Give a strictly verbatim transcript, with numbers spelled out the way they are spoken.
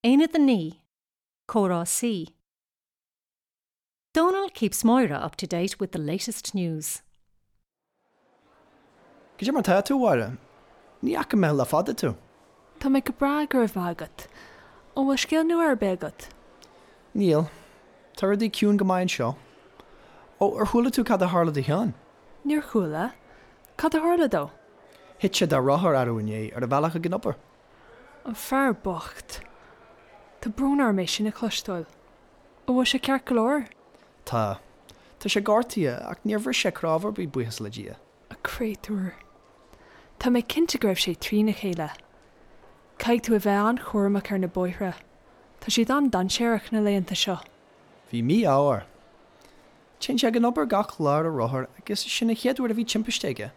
Aonad a naoi, Comhrá C. Donal keeps Moira up to date with the latest news. Cad é mar tá tú, a Mháire? Ní fhaca mé le fada tú. Tá mé go breá go raibh maith agat. An bhfuil scéal nua ar bith agat? Níl. Tá rudaí ciúin go maith anseo. Ó ar chuala tú cad a tharla do Sheán? Níor chuala. Cad a tharla dó? Thit sé dá rothar arú inné ar a bhealach ag an obair. An fear bocht. Tá brón orm é sin a chloisteáil. An bhfuil sé ceart go leor? Tá. Tá sé gortaithe ach níor bhris sé cnámh ar bith buíochas le Dia. A chréatúr. Tá mé cinnte go raibh sé trína chéile. Caithfidh tú a bheith an-chúramach ar na bóithre. Tá siad an-dainséarach na laethanta seo. Bhí mí-ádh air. Téann sé ag an obair gach lá ar a rothar agus sin an chéad uair a bhí timpiste aige.